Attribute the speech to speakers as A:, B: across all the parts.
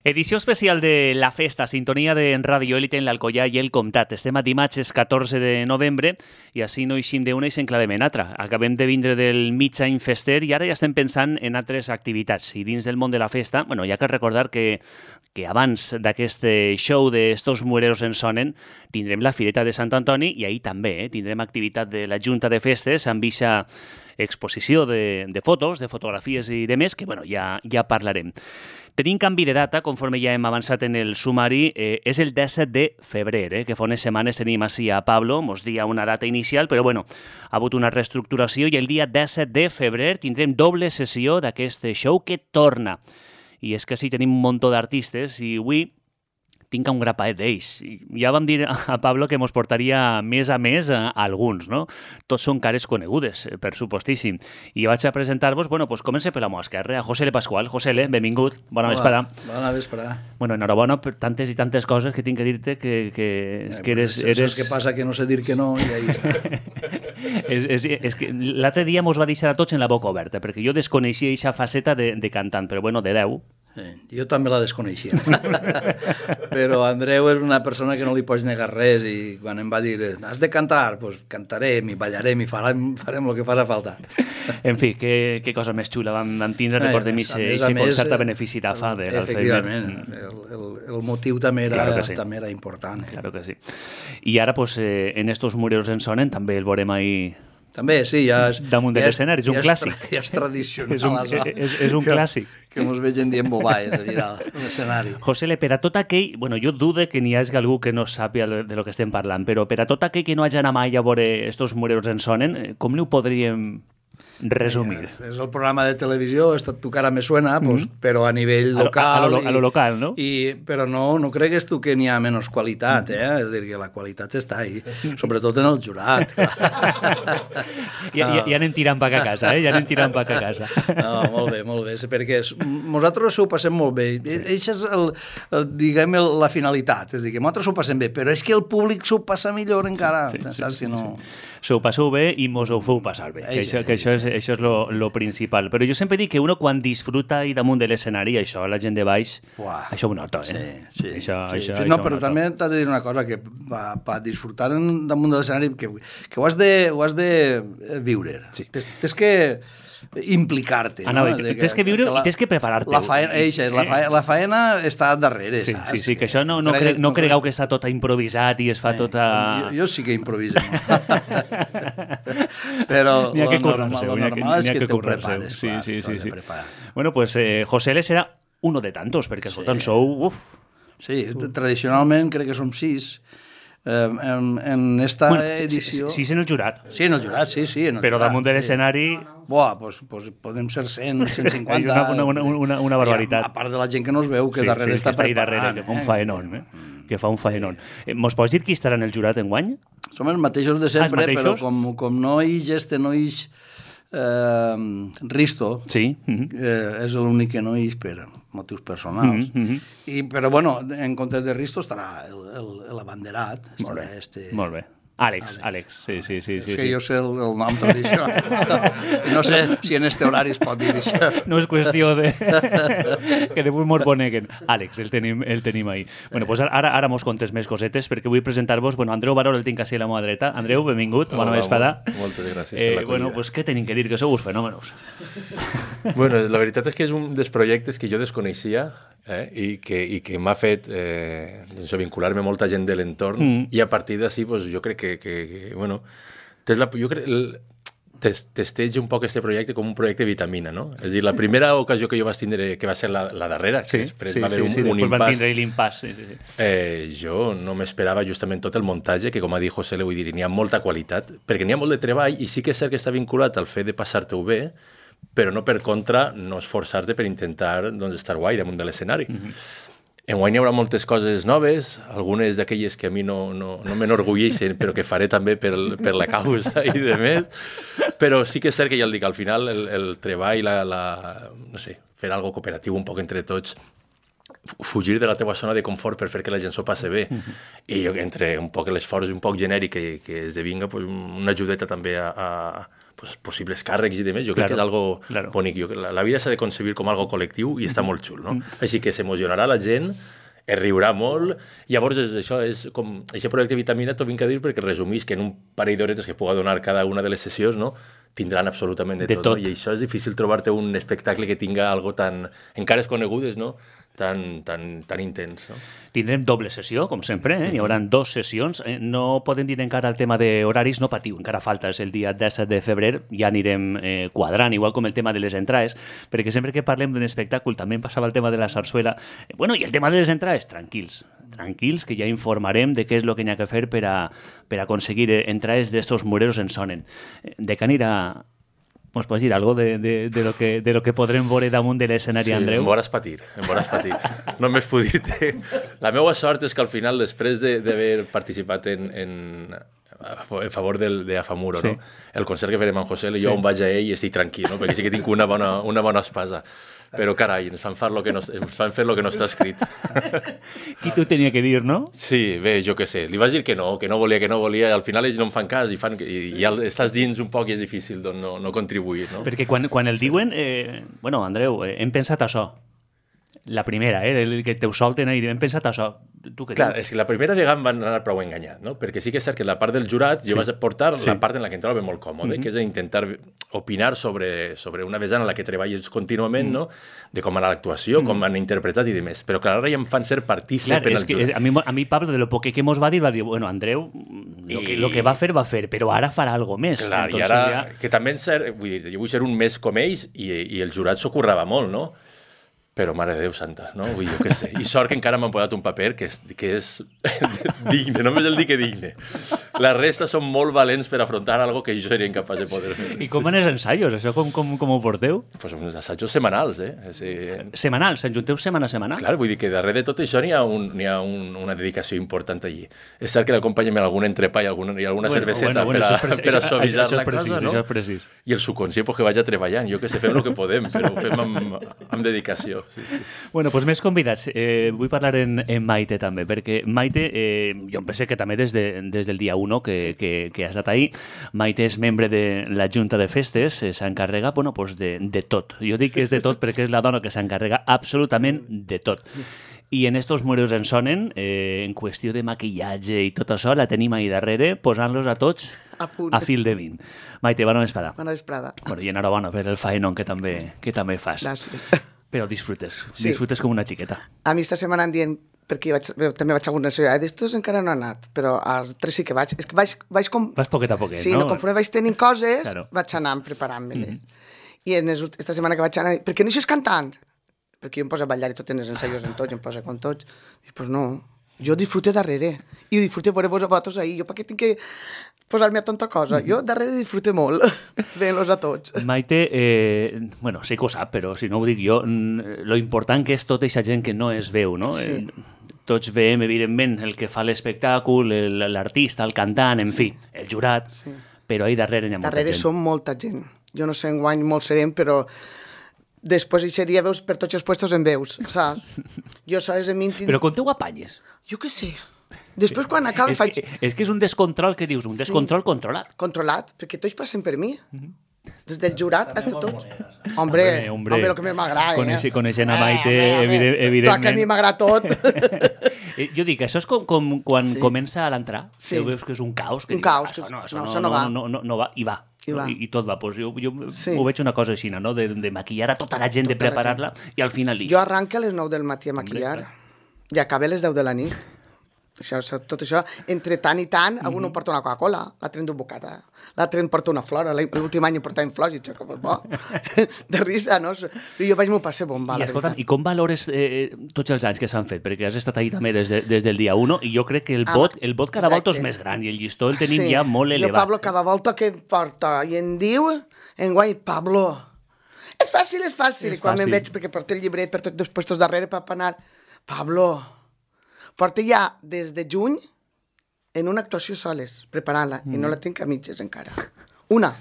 A: Edició especial de La Festa, sintonia de Ràdio Élite en l'Alcoià i el Comtat. Estem a dimarts 14 de novembre i així no eixim d'una i s'enclavem en altra. Acabem de vindre del mig any fester i ara ja estem pensant en altres activitats. I dins del món de la festa, bueno, hi ha que recordar que abans d'aquest show d'Estos Muereros en Sonen tindrem la Fireta de Sant Antoni i ahir també tindrem activitat de la Junta de Festes amb eixa exposició de fotos, de fotografies i de més, que bueno, ja parlarem. Tenim canvi de data, conforme ja hem avançat en el sumari, és el 17 de febrer, que fa unes setmanes tenim així a Pablo, mos dia una data inicial, però bueno, ha hagut una reestructuració i el dia 17 de febrer tindrem doble sessió d'aquest show que torna. I és que sí, tenim un munt d'artistes i avui tinc un grapaet d'ells. Ja vam dir a Pablo que mos portaria més a més a alguns, no? Tots són cares conegudes, per supostíssim. I vaig a presentar-vos, bueno, doncs comença per la meva esquerra, a Josele Pascual. Josele, benvingut, bona vesprada.
B: Bona vesprada.
A: Bueno, enhorabona per tantes i tantes coses que tinc que dir-te que eres...
B: És que passa que no sé dir que no i ahí està.
A: és que l'altre dia mos va deixar a tots en la boca oberta, perquè jo desconeixia aquesta faceta de cantant, però bueno, de 10.
B: Sí, jo també la desconeixia. Però Andreu és una persona que no li pots negar res i quan em va dir has de cantar, doncs cantarem i ballarem i farem el que farà falta.
A: En fi, que cosa més xula vam tindre, recordem aquest concert a benefici d'AFA.
B: Efectivament, el motiu també era important.
A: Claro que sí. I ara, en Estos Muereros en Sonen, també el veurem ahir...
B: També, sí, ja és...
A: Damunt de l'escenari, és un clàssic.
B: Ja és tradicional.
A: És un clàssic.
B: Que mos vegin dient bobaes, a dir, a l'escenari.
A: Josele, per a tot aquell... Bueno, jo dudo que n'hi hagi algú que no sàpia de lo que estem parlant, però per a tot aquell que no hagi anat mai a veure Estos Muereros en Sonen, com n'ho podríem resumir?
B: És el programa de televisió, Tu cara me suena, però a nivell local.
A: A lo local, no?
B: Però no cregues tu que n'hi ha menys qualitat, És a dir, que la qualitat està ahí, sobretot en el jurat.
A: Ja anem tirant pa a casa, Ja anem tirant pa a casa.
B: No, molt bé, perquè nosaltres ho passem molt bé. Això és, diguem, la finalitat, és a dir, que nosaltres ho passem bé, però és que el públic s'ho passa millor encara, saps que no...
A: S'ho passeu bé i mos ho feu passar bé, que això és lo principal. Però jo sempre dic que uno quan disfruta i damunt de l'escenari, això, la gent de baix, això ho nota,
B: Sí.
A: No,
B: però també t'ha de dir una cosa, que per disfrutar damunt de l'escenari, que ho has de viure. Tens que implicar-te.
A: Tens que viure i tens que preparar-te.
B: La faena està darrere,
A: saps? Sí, que això no cregueu que està tot improvisat i es fa tot a...
B: Jo sí que improviso. Però lo normal és que te ho prepares.
A: Sí. Bueno, pues Josele serà uno de tantos, perquè escoltant sou...
B: Sí, tradicionalment crec que som 6. En esta edició...
A: 6 en el jurat.
B: Sí, en el jurat, sí.
A: Però damunt de l'escenari...
B: Doncs podem ser 100, 150...
A: Una barbaritat.
B: A part de la gent que no es veu, que darrere està preparant.
A: Que fa un faenón, que fa un faenón. Mos pots dir qui estarà en el jurat enguany?
B: Som els mateixos de sempre, però com no hi eix Risto, és l'únic que no hi per motius personals. Però, bueno, en comptes de Risto estarà l'abanderat.
A: Molt bé. Àlex, sí.
B: És que jo sé el nom tradicional. No sé si en este horari es pot dir això.
A: No és qüestió de... que després mos boneguen. Àlex, el tenim ahí. Bueno, doncs ara mos contes més cosetes, perquè vull presentar-vos... Bueno, Andreu Barol el tinc així a la meva dreta. Andreu, benvingut, bona vesprada.
C: Moltes gràcies.
A: Bueno, doncs què tenim que dir? Que sou uns fenòmenos.
C: Bueno, la veritat és que és un dels projectes que jo desconeixia i que m'ha fet vincular-me molta gent de l'entorn i a partir d'ací jo crec que bueno, testeig un poc aquest projecte com un projecte vitamina, no? És a dir, la primera ocasió que jo vaig tindre, que va ser la darrera, que després va haver un impàs, jo no m'esperava justament tot el muntatge, que com ha dit José, vull dir, n'hi ha molta qualitat, perquè n'hi ha molt de treball i sí que és cert que està vinculat al fet de passar-te-ho bé, però no per contra no esforçar-te per intentar estar guai damunt de l'escenari. Enguany hi haurà moltes coses noves, algunes d'aquelles que a mi no m'enorgulleixen, però que faré també per la causa i de més, però sí que és cert que ja el dic, al final el treball, no sé, fer algo cooperatiu un poc entre tots, fugir de la teva zona de confort per fer que la gent s'ho passi bé. I jo, entre un poc l'esforç un poc genèric que esdevinga una ajudeta també a possibles càrrecs i demés, jo crec que és algo bonic. La vida s'ha de concebir com algo col·lectiu i està molt xul, no? Així que s'emocionarà la gent, es riurà molt, i llavors això és com... Aquest projecte Vitamina t'ho vinc a dir perquè resumís que en un parell d'horetes que puga donar cada una de les sessions, no?, tindran absolutament de tot. No? I això és difícil trobar-te un espectacle que tinga algo tan... encara es conegudes, no?, tan intens. No?
A: Tindrem doble sessió, com sempre, hi haurà 2 sessions. No podem dir encara el tema d'horaris, no patiu, encara falta, és el dia 17 de febrer, ja anirem quadrant, igual com el tema de les entrades, perquè sempre que parlem d'un espectacle, també em passava el tema de la sarsuela, i el tema de les entrades, tranquils, que ja informarem de què és el que hi ha que fer per a aconseguir entrades d'estos mureros en sonen. De què anirà... Ens pots dir algo de lo que podrem veure damunt de l'escenari, Andreu?
C: Sí, em veuràs patir. Només puc dir-te. La meva sort és que al final, després d'haver participat a favor d'Afamuro, no? El concert que farem amb José, jo on vaig a ell i estic tranquil, no? Perquè sí que tinc una bona espasa. Però carai, ens fan fer lo que no està escrit.
A: Qui t'ho tenia que dir, no?
C: Sí, bé, jo què sé. Li vaig dir que no volia, al final ells no em fan cas i ja estàs dins un poc i és difícil no contribuir, no?
A: Perquè quan el diuen, Andreu, hem pensat això. La primera, que te ho solten i hem pensat això.
C: Clar, és que la primera vegada em van anar prou enganyat, no? Perquè sí que és cert que la part del jurat jo vaig portar la part en la que em trobo molt còmode, que és intentar opinar sobre una vessant en la que treballes contínuament, no? De com anar l'actuació, com han interpretat i demés. Però clar, ara ja em fan ser partícip en el jurat.
A: A mi Pablo, de lo poc que mos va dir, Andreu, lo que va fer, però ara farà algo més.
C: Clar, i ara, que també jo vull ser un més com ells i el jurat s'ho currava molt, no? Però, mare de Déu santa, no? Vull jo què sé. I sort que encara m'han posat un paper que és digne, només el dic que digne. La resta són molt valents per afrontar algo que jo seria incapaç de poder fer.
A: I com van els ensaios? Això com ho porteu?
C: Pues uns assajos setmanals,
A: Setmanals? Se'n junteu setmana a setmana?
C: Clar, vull dir que darrere de tot això n'hi ha una dedicació important allí. És cert que l'acompanyem amb algun entrepà i alguna cerveseta per a suavitzar la cosa, no?
A: Això és precís.
C: I el subconscient que vagi treballant. Jo que sé, fem el que podem, però ho fem amb dedicació. Sí.
A: Bueno, doncs més convidats. Vull parlar en Maite també, perquè Maite, jo em penso que també des del dia 1 que has estat ahí, Maite és membre de la Junta de Festes, s'encarrega de tot. Jo dic que és de tot perquè és la dona que s'encarrega absolutament de tot. I en estos muros en sonen, en qüestió de maquillatge i tot això, la tenim ahí darrere, posant-los a tots a fil de 20. Maite, bona vesprada.
D: Bona vesprada.
A: I enhorabona per el faenón que també fas.
D: Gràcies.
A: Però disfrutes com una xiqueta.
D: A mi esta setmana em diuen, perquè també vaig a alguna ciutat, d'estos encara no he anat, però als 3 sí que vaig. És que vaig com...
A: Vas poquet a poquet,
D: sí,
A: no?
D: Sí, conforme vaig tenint coses, vaig anar preparant-me-les. I esta setmana que vaig anar, per què no eixes cantant? Perquè jo em poso a ballar i tot en els ensaios en tots, em poso com tots. I doncs no, jo disfrute darrere. I disfrute veure-vos a vosaltres ahir. Jo per què tinc que posar-me a tanta cosa? Jo darrere disfrute molt, veient-los a tots.
A: Maite, sí que ho sap, però si no ho dic jo, lo important que és tota aquesta gent que no es veu, no?
D: Sí.
A: Tots veiem, evidentment, el que fa l'espectacle, l'artista, el cantant, en fi, el jurat, però ahí darrere hi ha molta gent.
D: Darrere som molta gent. Jo no sé enguany molt serem, però després aquest dia veus per tots els puestos en veus, saps? Jo saps en mi...
A: Però com te ho apanyes?
D: Jo què sé. Després quan acaba faig...
A: És que és un descontrol que dius, un descontrol controlat.
D: Controlat, perquè tots passen per mi. Des del jurat fins a tots. Hombre, el que més m'agrada.
A: Coneixent a Maite, evidentment.
D: Clar que a mi m'agrada tot.
A: Jo dic, això és com quan comença a l'entrar, que veus que és un caos.
D: Un caos. Això no va.
A: No va, i va. I tot va. Jo ho veig una cosa així, no? De maquillar a tota la gent, de preparar-la, i al final
D: Jo arranco a les 9 del matí a maquillar i acabo a les 10 de la nit. Tot això, entre tant i tant, algú em porta una Coca-Cola, l'altre en du bocata, l'altre em porta una flor, l'últim any em portaven flors i això, bo, de risa, no? I jo vaig m'ho passar bomba, la veritat.
A: I com valores tots els anys que s'han fet? Perquè has estat ahí també des del dia 1 i jo crec que el vot cada volta és més gran i el llistó el tenim ja molt elevat.
D: Jo, Pablo, cada volta que em porta i em diu, enguany, Pablo, és fàcil. I quan me'n veig, perquè porta el llibret per tots els puestos darrere per anar, Pablo, porta ja des de juny en una actuació soles, preparant-la, i no la tinc a mitges encara. Una.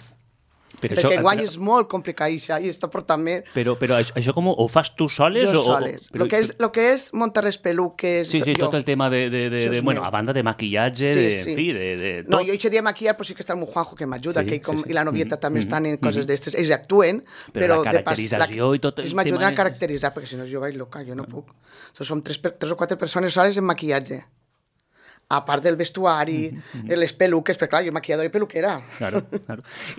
D: Perquè guany és molt complicat i està portant més...
A: Però això com ho fas tu soles?
D: Jo soles. Lo que és muntar les peluques...
A: Sí, tot el tema bueno, a banda de maquillatge, en fi, de tot.
D: No, jo aquest dia maquillar, però sí que està el meu Juanjo que m'ajuda, i la novieta també estan en coses d'estes. Ells actuen, però...
A: la caracterització i tot el tema...
D: Ells m'ajuden a caracteritzar, perquè si no jo vaig loca, jo no puc. Som 3 o 4 persones soles en maquillatge. A part del vestuari, les peluques, perquè clar, jo maquilladora i peluquera.
A: Claro.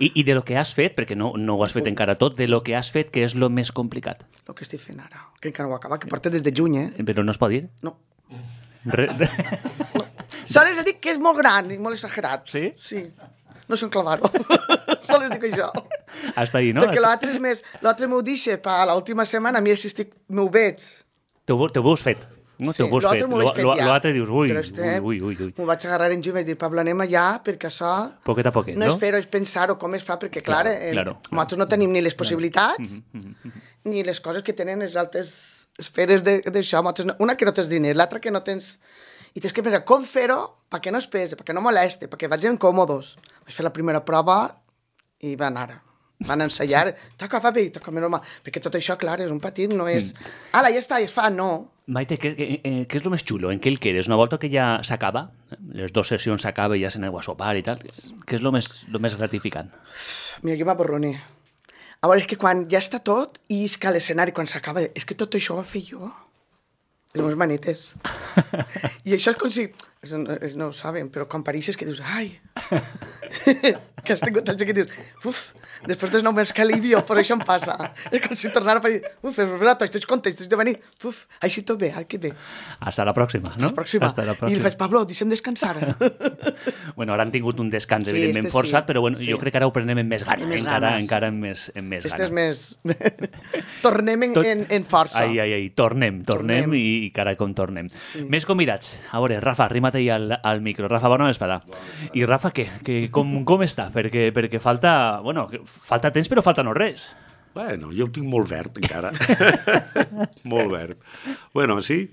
A: I de lo que has fet, perquè no ho has fet encara tot, de lo que has fet, què és lo més complicat?
D: Lo que estic fent ara, que encara no ho he acabat, que porta des de juny,
A: Però no es pot dir?
D: No. Sols dic que és molt gran i molt exagerat.
A: Sí?
D: Sí. No sé on clavar-ho. Sols dic això.
A: Hasta ahí, no?
D: Perquè l'altre és més... L'altre m'ho deixa per l'última setmana, a mi si m'ho veig.
A: T'ho veus fet? No,
D: sí, l'altre m'ho veig fet ja.
A: L'altre dius, ui.
D: M'ho vaig agarrar en juny i vaig dir, Pablo, anem allà, perquè això...
A: Poquet a poquet,
D: no? No és fer-ho, és pensar-ho com es fa, perquè, clar, nosaltres no tenim ni les possibilitats, ni les coses que tenen les altres esferes d'això. Una que no tens diners, l'altra que no tens... I tens que pensar com fer-ho perquè no es pese, perquè no moleste, perquè vagin còmodes. Vaig fer la primera prova i van ensaiar, toca fa bé, toca més normal, perquè tot això, clar, és un patit, no és... Ala, ja està, es fa, no.
A: Maite, què és el més xulo? En què el quedes? Una volta que ja s'acaba, les 2 sessions s'acaba i ja s'aneu a sopar i tal, què és el més gratificant?
D: Mira, jo m'aborroné. A veure, és que quan ja està tot i és que l'escenari, quan s'acaba, és que tot això ho va fer jo. Les meves manetes. I això és com si... No ho saben, però quan pareixes que dius, ai, que has tingut el que dius, uf, després dels 9 mesos que alivio, per això em passa. És com si tornara a parir, uf, és veritat, estic content, estic de venir, uf, així tot bé, que bé.
A: Hasta la pròxima, no?
D: Hasta la pròxima. I li faig, Pablo, deixem descansar.
A: Bueno, ara han tingut un descans, evidentment, forçat, però bueno, jo crec que ara ho prenem amb més gana, encara amb més gana.
D: Este és més... Tornem en força.
A: Ai, tornem i cara com tornem. Més convidats. A veure, Rafa, arrima't ahí al micro. Rafa, bona vesprada. I Rafa, com està? Perquè falta temps, però falta no res.
E: Bueno, jo ho tinc molt verd, encara. Molt verd. Bueno, sí,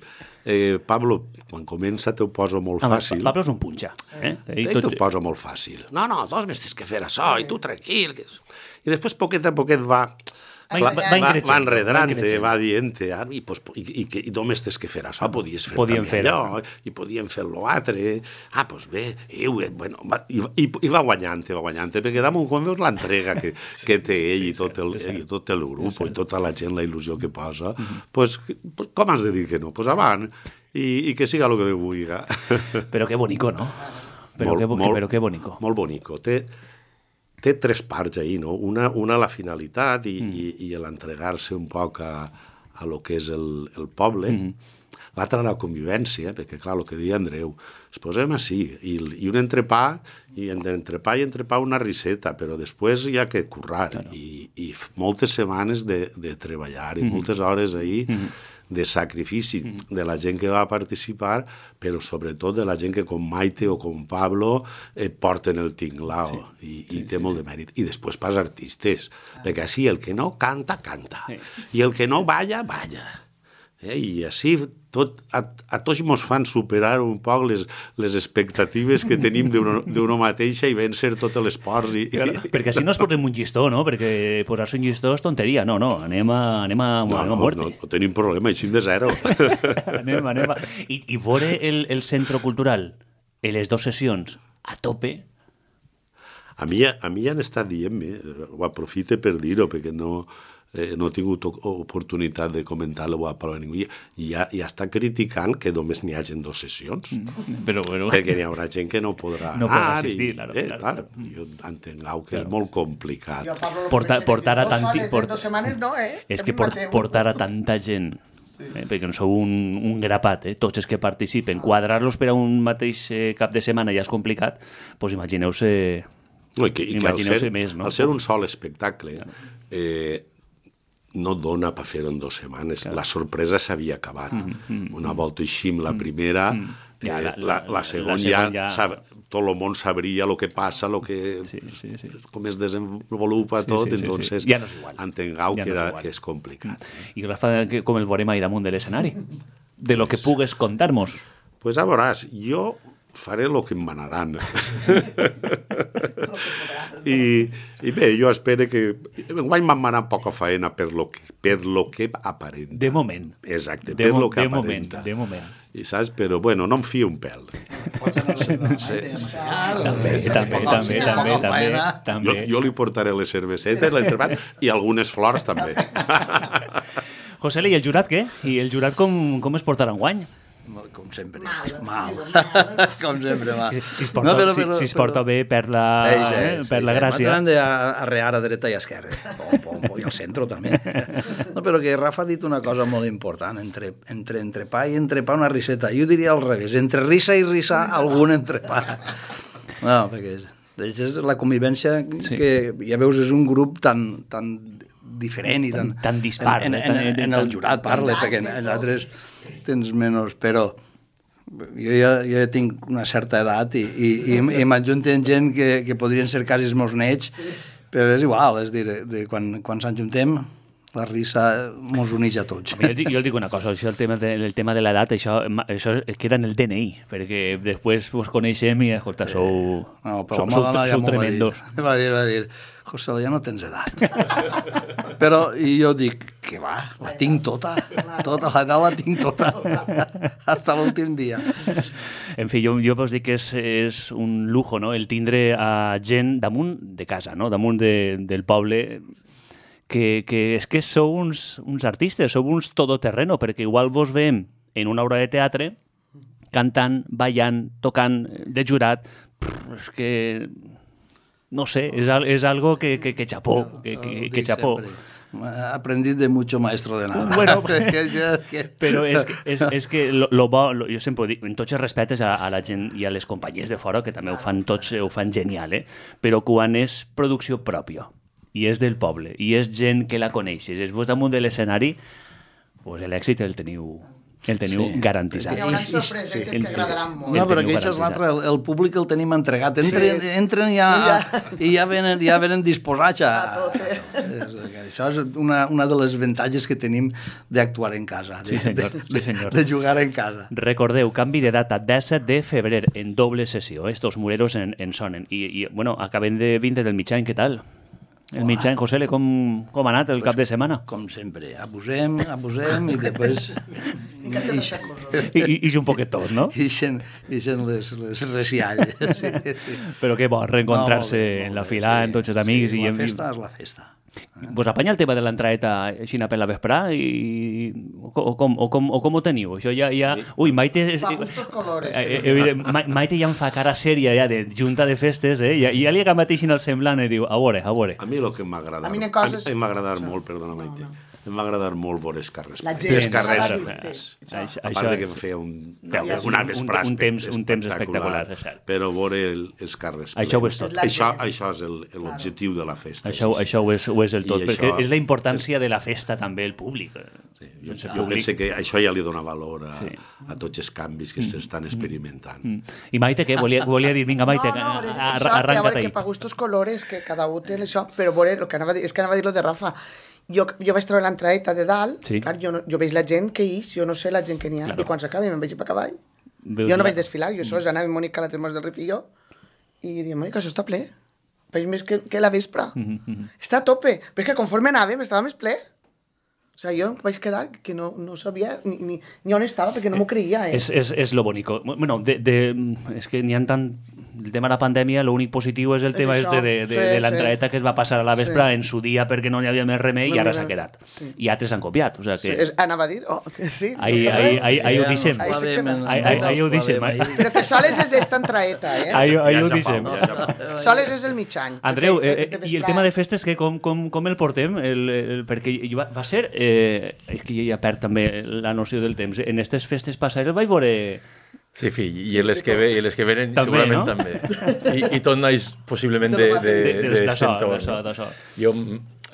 E: Pablo, quan comença t'ho poso molt fàcil.
A: Pablo és un punxa.
E: T'ho poso molt fàcil. No, 2 mesos que fer això, i tu tranquil. I després, poquet a poquet va enredrant-te, va dient-te, i només tens que fer això, podies fer també allò, i podíem fer l'altre, doncs bé, i va guanyant, perquè damunt quan veus l'entrega que té ell i tot el grup, i tota la gent, la il·lusió que posa, com has de dir que no? Doncs avant, i que siga el que Déu vulgui.
A: Però que bonico, no? Però que bonico.
E: Molt bonico. Té 3 parts ahí, no? Una la finalitat i l'entregar-se un poc a lo que és el poble. L'altra la convivència, perquè clar, el que deia Andreu, es posem així, i un entrepà, i entre pa una riseta, però després hi ha que currar, i moltes setmanes de treballar, i moltes hores ahí, de sacrifici de la gent que va participar, però sobretot de la gent que com Maite o com Pablo porten el tinglao i té molt de mèrit. I després pas artistes, perquè així el que no canta, canta. I el que no balla, balla. I així a tots ens fan superar un poc les expectatives que tenim d'una mateixa i vèncer tots els ports.
A: Perquè així no es posem un llistó, no? Perquè posar-se un llistó és tonteria. No, anem a muerte.
E: No tenim problema, així de zero.
A: Anem. I veure el centre cultural en les 2 sessions a tope...
E: A mi ja han estat dient-me, ho aprofite per dir-ho, perquè no he tingut oportunitat de comentar-lo a ningú, i ja està criticant que només n'hi hagin 2 sessions, perquè n'hi haurà gent que no podrà
A: assistir,
E: clar. Jo entenc que és molt complicat.
A: Portar a tanti...
D: 2 setmanes no,
A: És que portar a tanta gent, perquè no sou un grapat, tots els que participen, quadrar-los per a un mateix cap de setmana ja és complicat, doncs imagineu-se més, no?
E: Al ser un sol espectacle, no dona per fer-ho en 2 setmanes. La sorpresa s'havia acabat. Una volta així amb la primera, la segona ja tot el món sabria el que passa, com es desenvolupa tot, entonces entengueu que és complicat.
A: I Rafa, com el veurem ahí damunt de l'escenari? De lo que pugues contar-nos.
E: Pues a veuràs, jo faré el que em manaran. I bé, jo espero que... Enguany m'han manat poca feina per lo que aparenta.
A: De moment.
E: Exacte, per lo que aparenta.
A: De moment.
E: I saps? Però, bueno, no em fio un pèl. També. Jo li portaré les cervesetes, l'entrepat i algunes flors, també.
A: José, i el jurat què? I el jurat com es portarà enguany?
B: Com sempre, mal. Com sempre, mal.
A: Si es porta bé per la gràcia.
B: Nosaltres hem d'arrear a dreta i a esquerra. I al centre també. No, però que Rafa ha dit una cosa molt important. Entre entrepà i entrepà una riseta. Jo diria al revés. Entre risa i risa, algun entrepà. No, perquè és la convivència que, ja veus, és un grup tan diferent i
A: tan dispar.
B: En el jurat parla, perquè en altres tens menys, però jo ja tinc una certa edat i m'ajunten gent que podrien ser quasi els meus nets, però és igual, és dir, quan s'ajuntem la risa mos uneix a tots.
A: Jo dic una cosa, això, el tema de l'edat, això queda en el DNI, perquè després vos coneixem i, escolta, sou tremendos.
B: Va dir, José, ja no tens edat. Però jo dic, que va, la tinc tota, l'edat la tinc tota, fins l'últim dia.
A: En fi, jo vos dic que és un lujo, no?, el tindre a gent damunt de casa, no?, damunt del poble, que és que sou uns artistes, sou uns todoterreno, perquè igual vos veiem en una obra de teatre cantant, ballant, tocant, de jurat, és que... No sé, es algo que chapó, que chapó.
B: Aprendí de mucho maestro de nada.
A: Bueno, però és que jo sempre dic, en tots els respectes a la gent i a les companyies de fora, que també ho fan genial, però quan és producció pròpia, i és del poble, i és gent que la coneixes, és vos damunt de l'escenari, pues l'èxit el teniu garantitzat.
D: Hi haurà sorpreses que t'agradaran molt.
B: No, però això és l'altre, el públic el tenim entregat. Entren i ja venen disposats a tot. Això és una de les avantatges que tenim d'actuar en casa, de jugar en casa.
A: Recordeu, canvi de data, 17 de febrer, en doble sessió. Estos mureros en sonen. I bueno, acabem de vindre del mig any, què tal? El mig any, José, com ha anat el cap de setmana?
B: Com sempre, abusem i després...
A: I un poquet tot, no?
B: Ixen les resialles.
A: Però que bo, reencontrar-se en la fila, en tots els amics.
B: La festa és la festa.
A: Vos apanya el tema de l'entraeta així per la vesprà o com ho teniu? Això ja... Ui, Maite...
D: Fa gustos colores.
A: Maite ja em fa cara sèria ja de junta de festes, ja li agamateixin el semblant i diu, a veure.
E: A mi el que m'ha agradat molt, perdona Maite, em va agradar molt veure els carrers.
D: Els
E: carrers. A part que em feia una vesprà
A: un temps espectacular, és cert.
E: Però veure els carrers.
A: Això ho és tot.
E: Això és l'objectiu de la festa.
A: Això ho és el tot, perquè és la importància de la festa també, el públic.
E: Jo penso que això ja li dona valor a tots els canvis que s'estan experimentant.
A: I Maite, què? Volia dir, vinga, Maite, arranca't ahí.
D: Que pa gustos colores, que cada un té això, però veure, és que anava a dir lo de Rafa. Jo vaig treure l'entraeta de dalt, clar, jo veig la gent que jo no sé la gent que n'hi ha, i quan s'acabi me'n vaig per cavall. Jo no vaig desfilar, jo sols anava amb Mònica a la Tremors del Rif i jo, i diem, que això està ple, veig més que la vespre. Està a tope, però és que conforme anàvem estava més ple. O sigui, jo vaig quedar que no sabia ni on estava, perquè no m'ho creia.
A: És lo bonico. Bueno, és que n'hi ha tant... El tema de la pandèmia, l'únic positiu és el tema de l'entraeta que es va passar a la vespre en su dia perquè no hi havia més remei i ara s'ha quedat. I altres han copiat.
D: Anava a dir, que sí.
A: Ahí ho deixem. Ahí ho deixem.
D: Però que soles és esta entraeta,
A: Ahí ho deixem.
D: Soles és el mig any.
A: Andreu, i el tema de festes, com el portem? Perquè va ser... És que ja perd també la noció del temps. En aquestes festes passaires vaig veure...
C: Sí, fill, i les que venen també, segurament no? També. I tot naix possiblement d'això. Jo,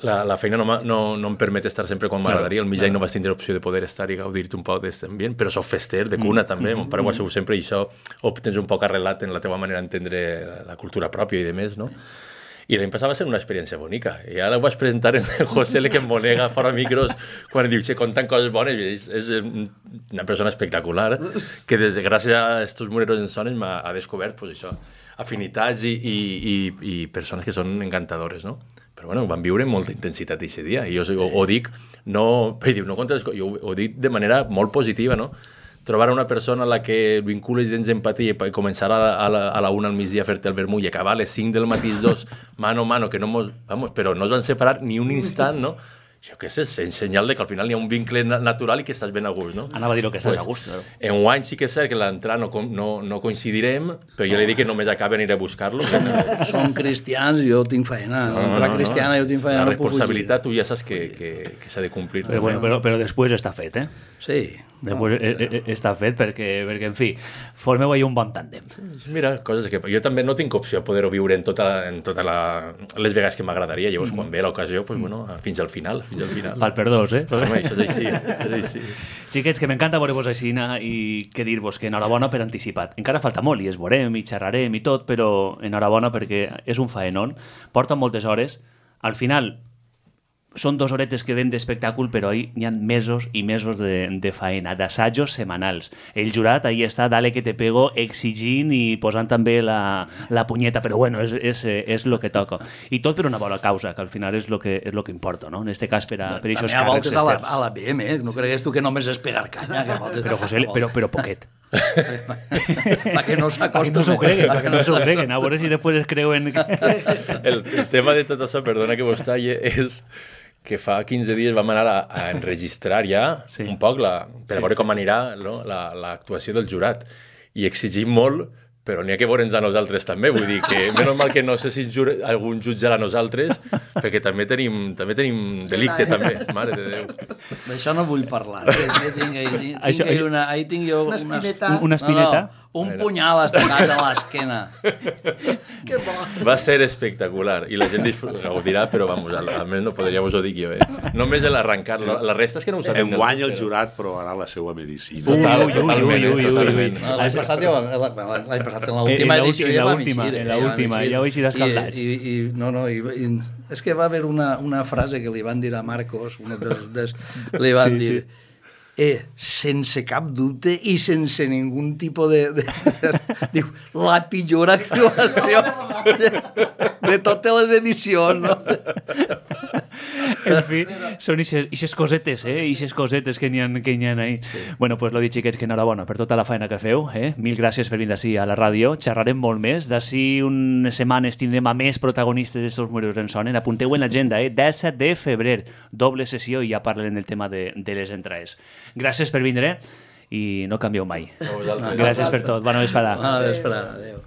C: la feina no em permet estar sempre quan m'agradaria. El mig any no vaig tindre l'opció de poder estar i gaudir-te un poc d'aquest ambient, però soc fester, de cuna també. Mon pare ho ha sigut sempre i això ho tens un poc arrelat en la teva manera d'entendre la cultura pròpia i de més, no? I l'any passat va ser una experiència bonica. I ara ho vaig presentar en José L. que em monega fora micros quan diu, contant coses bones. És una persona espectacular que gràcies a estos Mureros en Sones m'ha descobert pues, això, afinitats i persones que són encantadores, no? Però bueno, van viure amb molta intensitat aquest dia. I jo ho dic, no contra les coses, jo ho dic de manera molt positiva, no? Trobar una persona a la que vincules dins empatia i començar a la 1 al migdia a fer-te el vermut i acabar a les 5 del matí 2, mano a mano, que no mos... Vamos, però no es van separar ni un instant, no? Jo què sé, és senyal de que al final hi ha un vincle natural i que estàs ben a gust, no?
A: Anava a dir que estàs a gust, però...
C: En guany sí que és cert que l'entrada no coincidirem, però jo li dic que només acaba aniré a buscar-lo.
B: Són cristians i jo tinc feina. L'entrada cristiana jo tinc feina.
C: La responsabilitat tu ja saps que s'ha de complir.
A: Però després està fet, eh?
B: Sí.
A: Després està fet perquè, en fi, formeu ahir un bon tàndem.
C: Mira, coses que... Jo també no tinc opció a poder-ho viure en tota les vegades que m'agradaria. Llavors, quan ve l'ocasió, pues, bueno, fins al final.
A: Val per dos, eh?
C: Home, això és així.
A: Xiquets, que m'encanta veure-vos així i què dir-vos, que enhorabona per anticipat. Encara falta molt i es veurem i xerrarem i tot, però enhorabona perquè és un faenón, porta moltes hores. Al final, són 2 horetes que ven d'espectacle, però ahí n'hi ha mesos i mesos de faena, d'assajos setmanals. El jurat ahí està, dale que te pego, exigint i posant també la punyeta, però bueno, és lo que toca. I tot per una bona causa, que al final és lo que importa, no? En este cas, per aquests càrrecs externs.
B: A la BM, no cregues tu que només és pegar canya.
A: Però, José, però poquet.
B: Perquè no s'acostumen.
A: Perquè no s'ho creguen, a veure si després es creuen...
C: El tema de tot això, perdona que vos talle, és que fa 15 dies vam anar a enregistrar ja un poc per veure com anirà l'actuació del jurat. I exigim molt, però n'hi ha que veure'ns a nosaltres també. Vull dir que, menys mal que no sé si algun jutjarà a nosaltres, perquè també tenim delicte, també. Mare de Déu.
B: D'això no vull parlar. Ahí tinc jo
D: una espineta.
A: Una espineta?
B: No, un punyal estirat a l'esquena.
D: Que bo.
C: Va ser espectacular i la gent gaudirà, però vamos, almenys no podria vos ho dir jo. Només l'arrencar, la resta és que no ho sabem.
E: Enguany el jurat provarà la seva medicina.
C: Totalment.
B: L'any passat en l'última edició ja vam eixir.
A: En l'última, ja ho eixir escaldats.
B: És que va haver una frase que li van dir a Marcos, li van dir... sense cap dubte i sense ningú tipus de diu, la pitjor actuació de totes les edicions, no?
A: En fi, són ixes cosetes, ixes cosetes que n'hi ha ahí. Sí. Bueno, pues lo dit, xiquets, que enhorabona per tota la feina que feu, Mil gràcies per vindre així a la ràdio. Xerrarem molt més. D'ací unes setmanes tindrem a més protagonistes d'estos Mureros en Sonen. Apunteu en l'agenda, 17 de febrer, doble sessió i ja parlarem del tema de les entrades. Gràcies per vindre i no canvieu mai. Gràcies per tot. Bona vesprada.
B: Bona vesprada. Adéu.